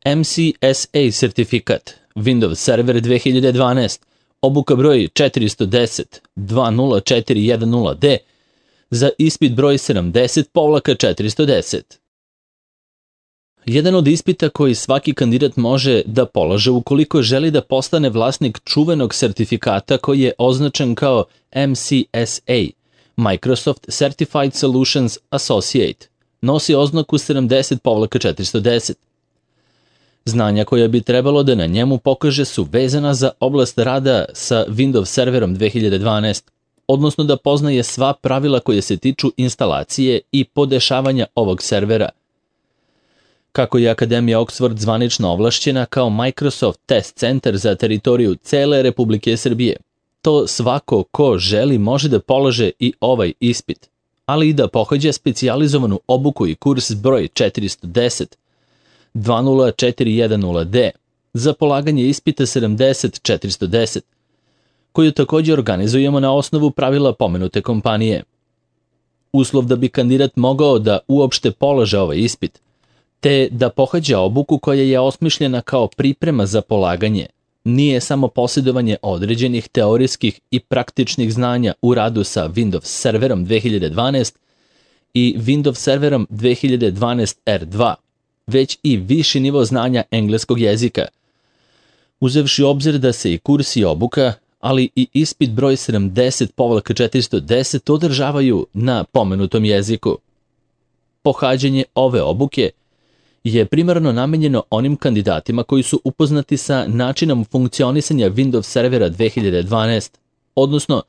MCSA sertifikat, Windows Server 2012, obuka broj 410-20410D za ispit broj 70-410. Jedan od ispita koji svaki kandidat može da polaže ukoliko želi da postane vlasnik čuvenog sertifikata koji je označen kao MCSA, Microsoft Certified Solutions Associate, nosi oznaku 70-410. Znanja koja bi trebalo da na njemu pokaže su vezana za oblast rada sa Windows Serverom 2012, odnosno da poznaje sva pravila koje se tiču instalacije i podešavanja ovog servera. Kako je Akademija Oxford zvanično ovlašćena kao Microsoft Test Center za teritoriju cele Republike Srbije, to svako ko želi može da polaže i ovaj ispit, ali i da pohađa specijalizovanu obuku i kurs broj 410-20410D za polaganje ispita 70-410, koju također organizujemo na osnovu pravila pomenute kompanije. Uslov da bi kandidat mogao da uopšte polaže ovaj ispit, te da pohađa obuku koja je osmišljena kao priprema za polaganje, nije samo posjedovanje određenih teorijskih i praktičnih znanja u radu sa Windows Serverom 2012 i Windows Serverom 2012 R2, već i viši nivo znanja engleskog jezika. Uzevši u obzir da se i kurs i obuka, ali i ispit broj 70-410 održavaju na pomenutom jeziku. Pohađanje ove obuke je primarno namenjeno onim kandidatima koji su upoznati sa načinom funkcionisanja Windows Servera 2012, odnosno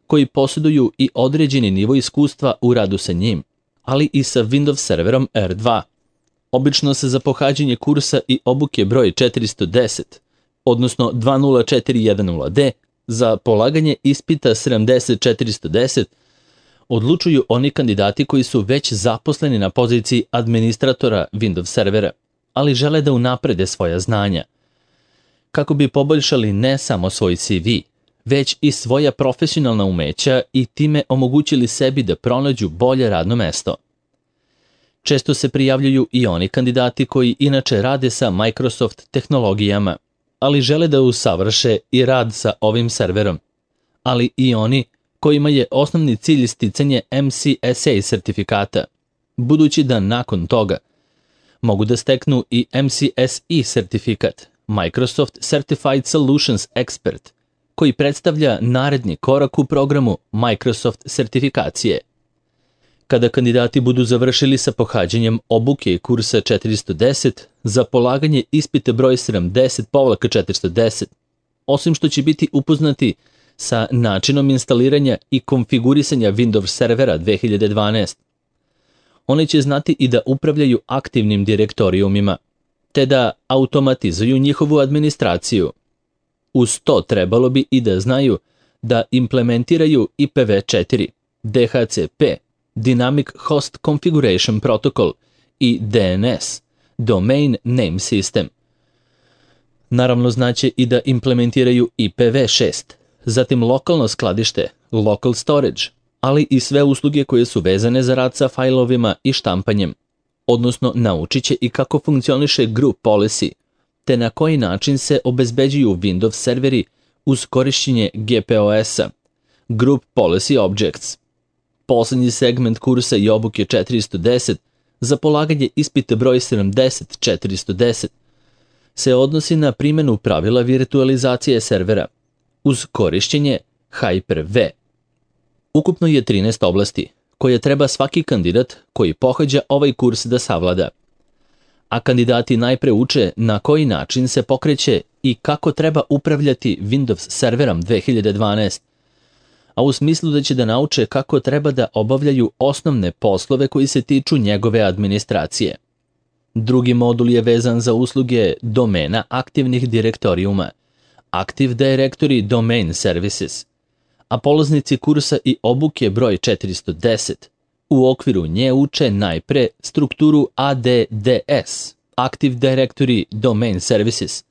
koji posjeduju i određeni nivo iskustva u radu sa njim, ali i sa Windows Serverom R2. Obično se za pohađanje kursa i obuke broj 410, odnosno 20410D, za polaganje ispita 70-410, odlučuju oni kandidati koji su već zaposleni na poziciji administratora Windows servera, ali žele da unaprede svoja znanja, kako bi poboljšali ne samo svoj CV, već i svoja profesionalna umeća i time omogućili sebi da pronađu bolje radno mesto. Često se prijavljuju i oni kandidati koji inače rade sa Microsoft tehnologijama, ali žele da usavrše i rad sa ovim serverom, ali i oni kojima je osnovni cilj sticanje MCSA sertifikata, budući da nakon toga mogu da steknu i MCSE sertifikat, Microsoft Certified Solutions Expert, koji predstavlja naredni korak u programu Microsoft sertifikacije. Kada kandidati budu završili sa pohađanjem obuke i kursa 410 za polaganje ispita broj 70-410, osim što će biti upoznati sa načinom instaliranja i konfigurisanja Windows servera 2012, oni će znati i da upravljaju aktivnim direktorijumima, te da automatizuju njihovu administraciju. Uz to trebalo bi i da znaju da implementiraju IPv4, DHCP, Dynamic Host Configuration Protocol i DNS, Domain Name System. Naravno znaće i da implementiraju IPv6, zatim lokalno skladište, local storage, ali i sve usluge koje su vezane za rad sa fajlovima i štampanjem, odnosno naučit će i kako funkcioniše group policy, te na koji način se obezbeđuju Windows serveri uz korišćenje GPOS-a, Group Policy Objects. Poslednji segment kursa i obuke 410 za polaganje ispita broj 70-410 se odnosi na primjenu pravila virtualizacije servera uz korišćenje Hyper-V. Ukupno je 13 oblasti koje treba svaki kandidat koji pohađa ovaj kurs da savlada. A kandidati najpre uče na koji način se pokreće i kako treba upravljati Windows serverom 2012, a u smislu da će da nauče kako treba da obavljaju osnovne poslove koji se tiču njegove administracije. Drugi modul je vezan za usluge domena aktivnih direktorijuma, Active Directory Domain Services, a polaznici kursa i obuke broj 410 u okviru nje uče najpre strukturu ADDS, Active Directory Domain Services,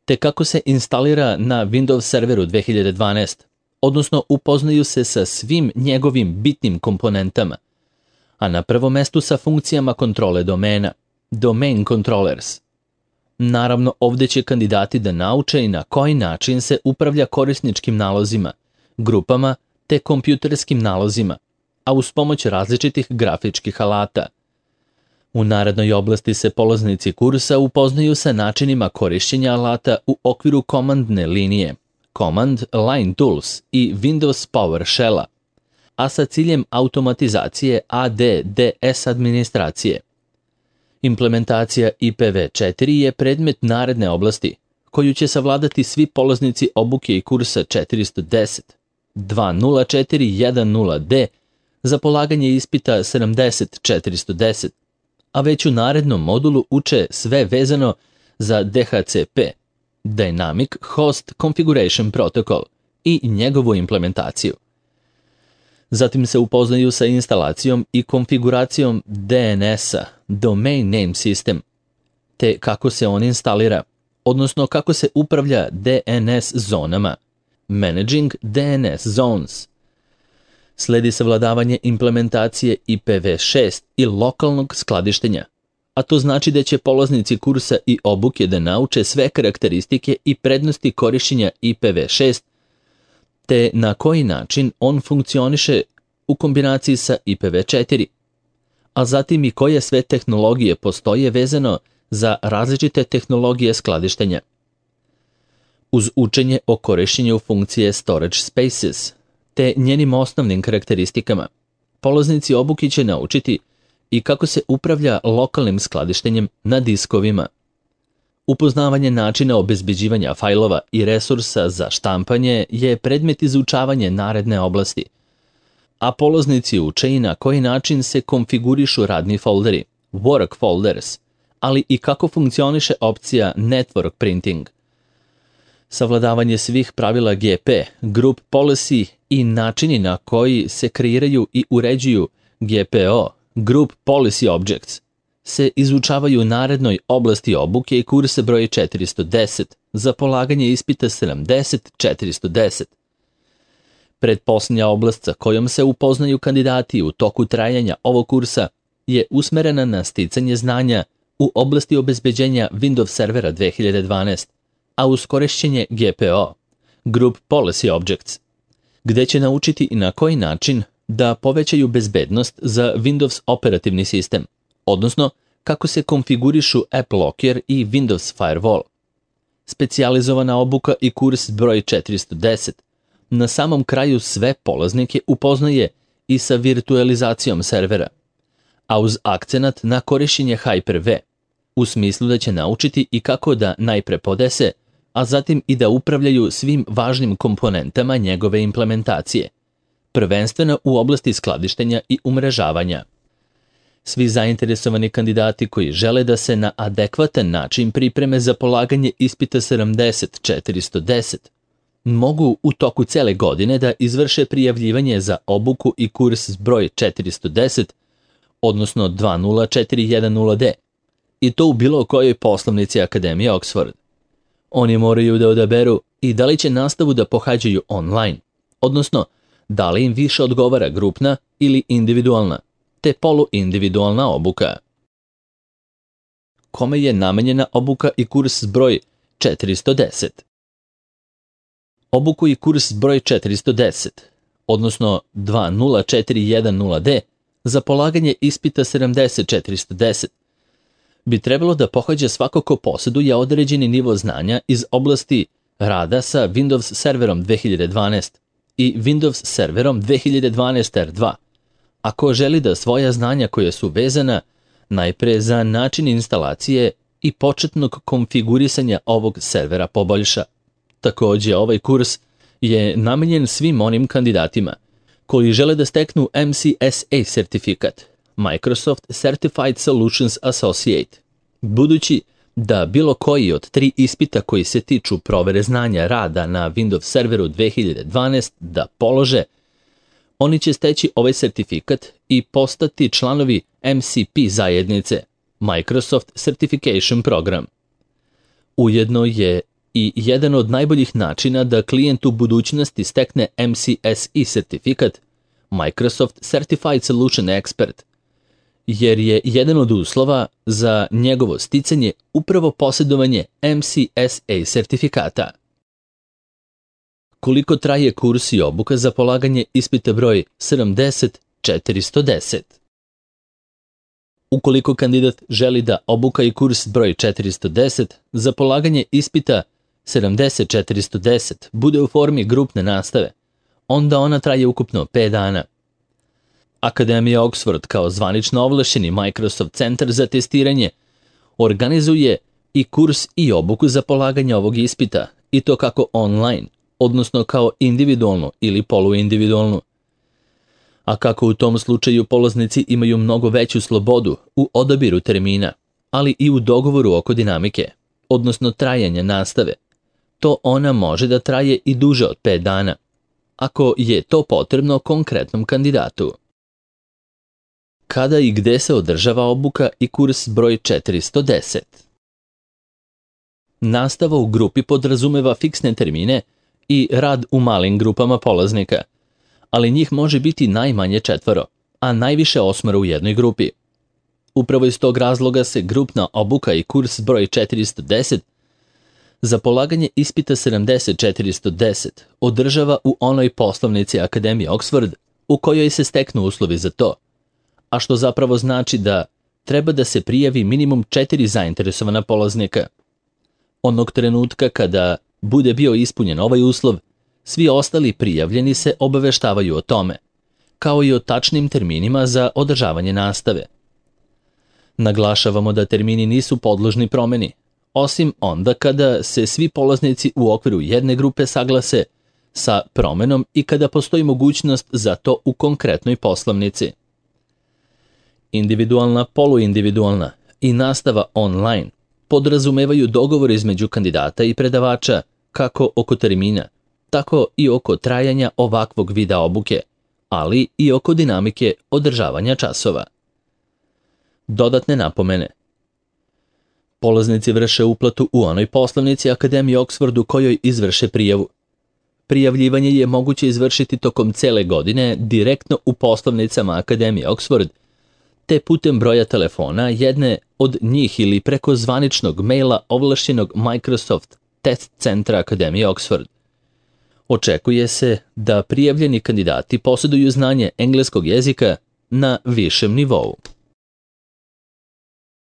te kako se instalira na Windows serveru 2012, odnosno upoznaju se sa svim njegovim bitnim komponentama, a na prvom mestu sa funkcijama kontrole domena, Domain Controllers. Naravno, ovdje će kandidati da nauče i na koji način se upravlja korisničkim nalozima, grupama te kompjuterskim nalozima, a uz pomoć različitih grafičkih alata. U narednoj oblasti se polaznici kursa upoznaju sa načinima korišćenja alata u okviru komandne linije, Command Line Tools i Windows PowerShell-a, a sa ciljem automatizacije ADDS administracije. Implementacija IPv4 je predmet naredne oblasti, koju će savladati svi polaznici obuke i kursa 410, 20410D za polaganje ispita 70410, a već u narednom modulu uče sve vezano za DHCP, Dynamic Host Configuration Protocol, i njegovu implementaciju. Zatim se upoznaju sa instalacijom i konfiguracijom DNS-a, Domain Name System, te kako se on instalira, odnosno kako se upravlja DNS zonama, Managing DNS Zones. Sledi savladavanje implementacije IPv6 i lokalnog skladištenja, a to znači da će polaznici kursa i obuke da nauče sve karakteristike i prednosti korišćenja IPv6, te na koji način on funkcioniše u kombinaciji sa IPv4, a zatim i koje sve tehnologije postoje vezano za različite tehnologije skladištenja. Uz učenje o korišćenju funkcije Storage Spaces, te njenim osnovnim karakteristikama, polaznici obuke će naučiti i kako se upravlja lokalnim skladištenjem na diskovima. Upoznavanje načina obezbeđivanja fajlova i resursa za štampanje je predmet izučavanja naredne oblasti, a polaznici uče i na koji način se konfigurišu radni folderi, work folders, ali i kako funkcioniše opcija network printing. Savladavanje svih pravila GP, group policy i načini na koji se kreiraju i uređuju GPO, group policy objects, se izučavaju u narednoj oblasti obuke i kursa broj 410 za polaganje ispita 70410. Pretposljednja oblast sa kojom se upoznaju kandidati u toku trajanja ovog kursa je usmerena na sticanje znanja u oblasti obezbeđenja Windows servera 2012, a uz korišćenje GPO, Group Policy Objects, gde će naučiti i na koji način da povećaju bezbednost za Windows operativni sistem, odnosno kako se konfigurišu AppLocker i Windows Firewall. Specijalizovana obuka i kurs broj 410 na samom kraju sve polaznike upoznaje i sa virtualizacijom servera, a uz akcenat na korišćenje Hyper-V, u smislu da će naučiti i kako da najpre podese, a zatim i da upravljaju svim važnim komponentama njegove implementacije, prvenstveno u oblasti skladištenja i umrežavanja. Svi zainteresovani kandidati koji žele da se na adekvatan način pripreme za polaganje ispita 70410 mogu u toku cele godine da izvrše prijavljivanje za obuku i kurs broj 410, odnosno 20410D, i to u bilo kojoj poslovnici Akademije Oxford. Oni moraju da odaberu i da li će nastavu da pohađaju online, odnosno da li im više odgovara grupna ili individualna, te poluindividualna obuka. Kome je namenjena obuka i kurs broj 410? Obuku i kurs broj 410, odnosno 20410D, za polaganje ispita 70410, bi trebalo da pohađa svako ko posjeduje određeni nivo znanja iz oblasti rada sa Windows serverom 2012 i Windows serverom 2012 R2, ako želi da svoja znanja koja su vezana najpre za način instalacije i početnog konfigurisanja ovog servera poboljša. Također, ovaj kurs je namenjen svim onim kandidatima koji žele da steknu MCSA sertifikat, Microsoft Certified Solutions Associate, budući da bilo koji od 3 ispita koji se tiču provere znanja rada na Windows serveru 2012 da polože, oni će steći ovaj sertifikat i postati članovi MCP zajednice, Microsoft Certification Program. Ujedno je i jedan od najboljih načina da klijent u budućnosti stekne MCSE sertifikat, Microsoft Certified Solution Expert, jer je jedan od uslova za njegovo sticanje upravo posjedovanje MCSA sertifikata. Koliko traje kurs i obuka za polaganje ispita broj 70-410? Ukoliko kandidat želi da obuka i kurs broj 410 za polaganje ispita 70-410 bude u formi grupne nastave, onda ona traje ukupno 5 dana. Akademija Oxford kao zvanično ovlašćeni Microsoft centar za testiranje organizuje i kurs i obuku za polaganje ovog ispita, i to kako online, odnosno kao individualno ili poluindividualno. A kako u tom slučaju polaznici imaju mnogo veću slobodu u odabiru termina, ali i u dogovoru oko dinamike, odnosno trajanja nastave, to ona može da traje i duže od 5 dana, ako je to potrebno konkretnom kandidatu. Kada i gde se održava obuka i kurs broj 410? Nastava u grupi podrazumeva fiksne termine i rad u malim grupama polaznika, ali njih može biti najmanje 4, a najviše 8 u jednoj grupi. Upravo iz tog razloga se grupna obuka i kurs broj 410 za polaganje ispita 70-410 održava u onoj poslovnici Akademije Oxford u kojoj se steknu uslovi za to, a što zapravo znači da treba da se prijavi minimum 4 zainteresovana polaznika. Onog trenutka kada bude bio ispunjen ovaj uslov, svi ostali prijavljeni se obaveštavaju o tome, kao i o tačnim terminima za održavanje nastave. Naglašavamo da termini nisu podložni promeni, osim onda kada se svi polaznici u okviru jedne grupe saglase sa promenom i kada postoji mogućnost za to u konkretnoj poslovnici. Individualna, poluindividualna i nastava online podrazumevaju dogovor između kandidata i predavača kako oko termina, tako i oko trajanja ovakvog vida obuke, ali i oko dinamike održavanja časova. Dodatne napomene. Polaznici vrše uplatu u onoj poslovnici Akademije Oxford u kojoj izvrše prijavu. Prijavljivanje je moguće izvršiti tokom cele godine direktno u poslovnicama Akademije Oxford, te putem broja telefona jedne od njih ili preko zvaničnog maila ovlašćenog Microsoft Test centra Akademije Oxford. Očekuje se da prijavljeni kandidati posjeduju znanje engleskog jezika na višem nivou.